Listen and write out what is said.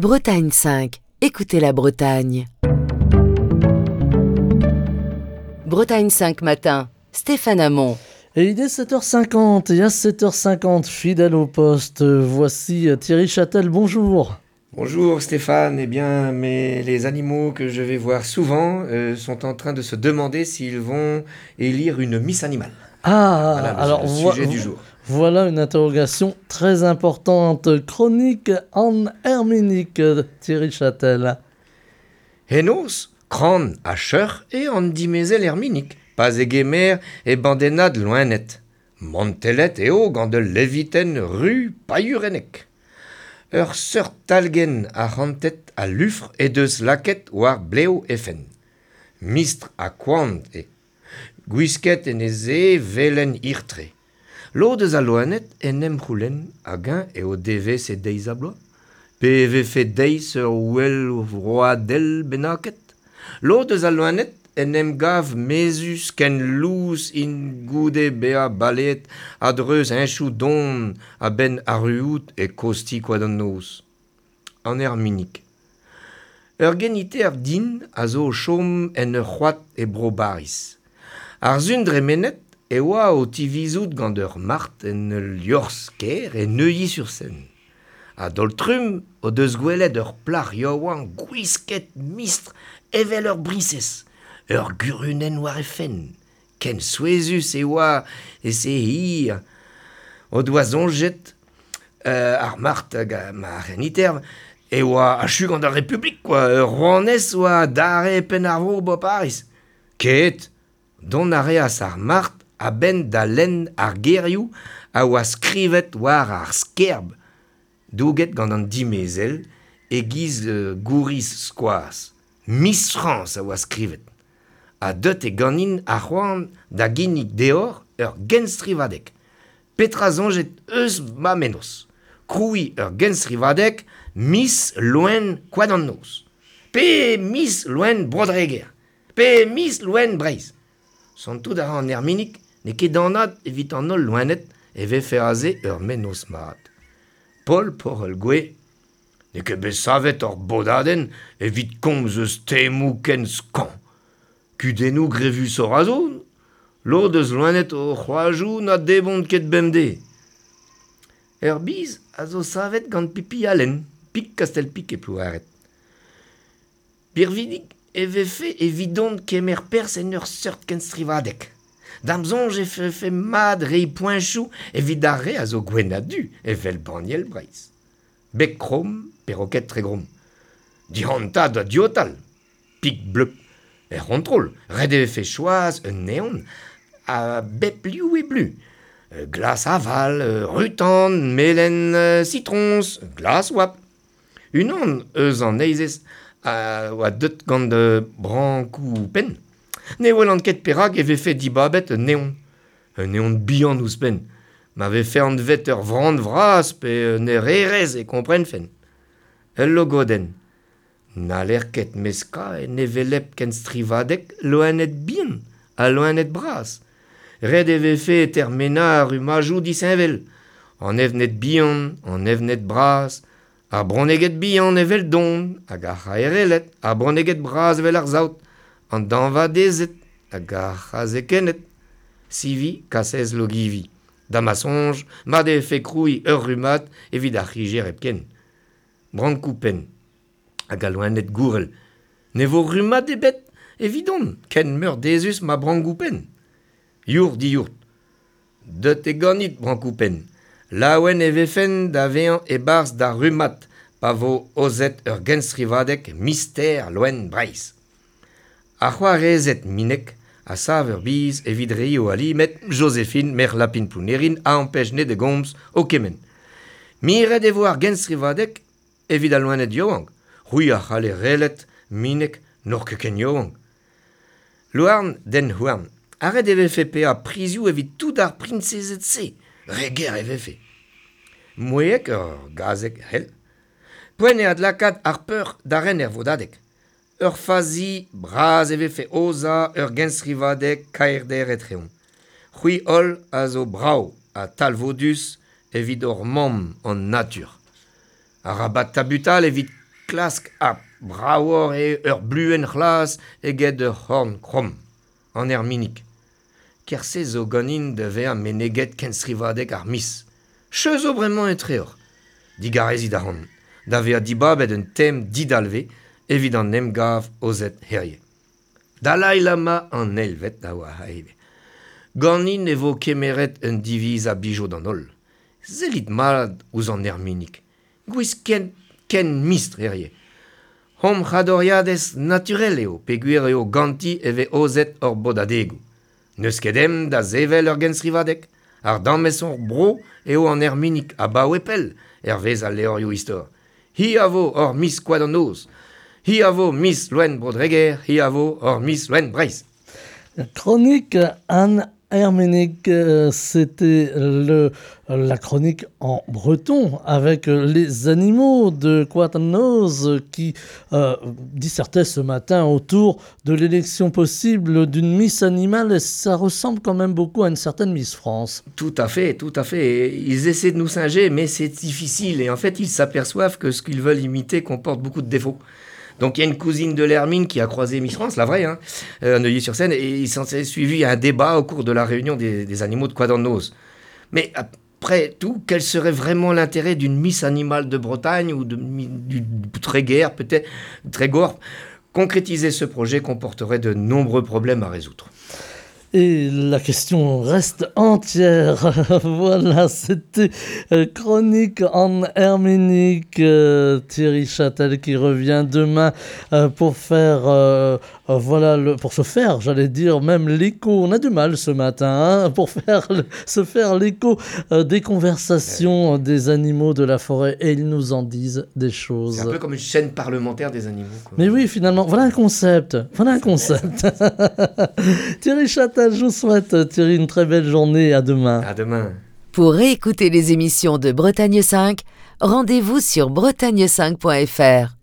Bretagne 5, écoutez la Bretagne. Bretagne 5 matin, Stéphane Hamon. Et il est 7h50, et à 7h50, fidèle au poste, voici Thierry Châtel, bonjour. Bonjour Stéphane, eh bien, mais les animaux que je vais voir souvent sont en train de se demander s'ils vont élire une Miss Animale. Ah, Voilà le alors sujet du jour. Voilà une interrogation très importante. Chronique en herménique, Thierry Châtel. Henoz, kran ha cheuc'h eo an dimezell herminik, pa zegemer e bandennad loened. Mantellet eo gant ul levitenn ru pailhurennek. Ur seurt talgenn arc'hantet ha lufr he deus lakaet war blev he fenn. Mistr ha koant eo. Gwisket en he sae velen hir-tre. Lod eus al loened en em c'houlenn hag-eñ eo devezh e deiz-ha-bloaz, pe e vefe deiz ur ouel vroadel bennaket. Lod eus al loened en em gav mezhus ken lous int goude bezañ baleet a-dreuz heñchoù don a-benn arruout e kozh-ti Koad an Noz. An Erminig. Ur geniterv din a zo o chom en ur c'hoad e Bro-Bariz. Ar sun dremenet e oa o tivizout gant ur mart en ul liorzh kêr e Neuilly-sur-Seine. A-daol-trumm o deus gwelet ur plac'h yaouank gwisket mistr evel ur briñsez, ur gurunenn war he fenn. Ken souezhus e oa e se hir. O doa soñjet ar mart hag ma c'heniterv e oa achu gant ar Republik, quoi. Ur rouanez oa adarre e penn ar vro 'ba Pariz. Ket, dont a reas ar mart a-benn da lenn ar gerioù a oa skrivet war ar skerb douget gant an dimezell e-giz gouriz skoaz. Miss Frañs a oa skrivet. Ha deut eo ganin ar c'hoant da ginnig deoc'h ur genstrivadeg. Petra soñjet eus ma mennozh? Krouiñ ur genstrivadeg Miss Loen Koad an Noz. Pe Miss Loen Bro-Dreger. Pe Miss Loen Breizh. Santout a ra an Erminig n'eo ket anat evit an holl loened e vefe aze ur mennozh mat. Paol Porel-Gouez n'eo ket bet savet hor bodadenn evit komz eus temoù ken skañv. Kudennoù grevusoc'h a zo, lod eus loened o c'hoajoù na debront ket bemdez. Ur biz a zo savet gant Pipi Allen, pik Kastell-Pik e Plouared. Birvidik e vefe evidon kemer perzh en ur seurt kenstrivadeg. Da'm soñj e vefe mat reiñ poeñchoù evit ar re a zo gwenn ha du, evel banniel Breizh. Beg kromm, peroked Tregrom. Dic'hoantañ da diotal, pik bleu. Er c'hontrol, ret e vefe choaz un evn a bep liv e blu. Glas aval, ru-tan, melen sitroñs, glas oabl. Unan eus an heizez a oa deut gant brankoù penn. Ne welan ket perak e vefe dibabet un evn. Un evn bihan ouzhpenn. Ma vefe anvet ur vran vras pe un ererez e komprenfen. Ul logodenn. N'haller ket meskañ en hevelep kenstrivadeg loened bihan ha loened bras. Ret e vefe termenañ ar rummadoù disheñvel. An evned bihan, an evned bras, ar bronneged bihan eveldon hag ar c'haerelled, ar bronneged bras evel ar saout, an dañvadezed hag ar c'hazekenned. Sivi, kasez Logivi. Da ma soñj, mat e vefe krouiñ ur rummad evit ar c'higer hepken. Brankoù-penn hag al loened gourel. Ne vo rummad ebet evidon, ken meurdezus ma brankoù-penn. Yourc'h diyourc'h. Deut eo ganit, brankoù-penn. Laouen e vefen da vezañ e-barzh da rummad pa vo aozet ur genstrivadeg Mister Loen Breizh. Ar c'hoarezed Mineg a sav ur biz evit reiñ o ali met Joséphine, merc'h Lapin Plounerin, a ampech ne da gomz o kemenn. Miret e vo ar genstrivadeg evit al loened yaouank. C'hwi a c'halle relet, Mineg, n'oc'h ket ken yaouank. Louarn, den houarn. Ha ret e vefe paeañ prizioù evit tout ar priñsezed-se. Re ger e vefe. Mouezhek ur gazeg c'hell. Poent eo adlakaat ar peur da ren er vodadeg. Ur fazi bras e vefe aozañ ur genstrivadeg kaerder etreomp. C'hwi holl a zo brav ha talvoudus evit hor mamm an natur. Arabat tabutal evit klask ha bravoc'h eo ur bluenn c'hlas eget ur c'horn kromm, an erminig. Kerse zo ganin da vezañ meneget kenstrivadeg ar miz. Cheu zo bremañ etreoc'h. Digarezit ac'hanon da vezañ dibabet un tem didalvez evit an emgav aozet hirie. Dalai Lama an eilvet a oa ivez. Ganin e vo kemeret un diviz a blijo d'an holl. Sellit mat ouzh an erminig. Gwisket ken mistr hirie. Hom c'hadoriadez naturel eo peogwir eo ganti e vez aozet hor bodadegoù. N'eus ket ezhomm da sevel ur genstrivadeg. Ardamez hor bro eo an erminig abaoe pell, hervez al levrioù istor. Hi a vo hor Miss Koad an Noz. Hi a vo Miss Loen Bro-Dreger, hi a vo hor Miss Loen Breizh. Chronique Anne Herménic, c'était la chronique en breton avec les animaux de Koad an Noz qui dissertaient ce matin autour de l'élection possible d'une Miss Animale et ça ressemble quand même beaucoup à une certaine Miss France. Tout à fait, tout à fait. Et ils essaient de nous singer, mais c'est difficile. Et en fait, ils s'aperçoivent que ce qu'ils veulent imiter comporte beaucoup de défauts. Donc il y a une cousine de l'Hermine qui a croisé Miss France, la vraie, hein, à Neuilly-sur-Seine, et il s'en est suivi un débat au cours de la réunion des animaux de Koad an Noz. Mais après tout, quel serait vraiment l'intérêt d'une Miss Animale de Bretagne ou du Tréguer, peut-être, Trégor? Concrétiser ce projet comporterait de nombreux problèmes à résoudre. Et la question reste entière. Voilà, c'était Chronique en Herménique. Thierry Châtel qui revient demain pour faire, voilà, pour se faire, j'allais dire, même l'écho. On a du mal ce matin, hein, pour se faire l'écho des conversations des animaux de la forêt. Et ils nous en disent des choses. C'est un peu comme une chaîne parlementaire des animaux, quoi. Mais oui, finalement, voilà un concept. Voilà un concept. Thierry Châtel, je vous souhaite, Thierry, une très belle journée. À demain. À demain. Pour réécouter les émissions de Bretagne 5, rendez-vous sur bretagne5.fr.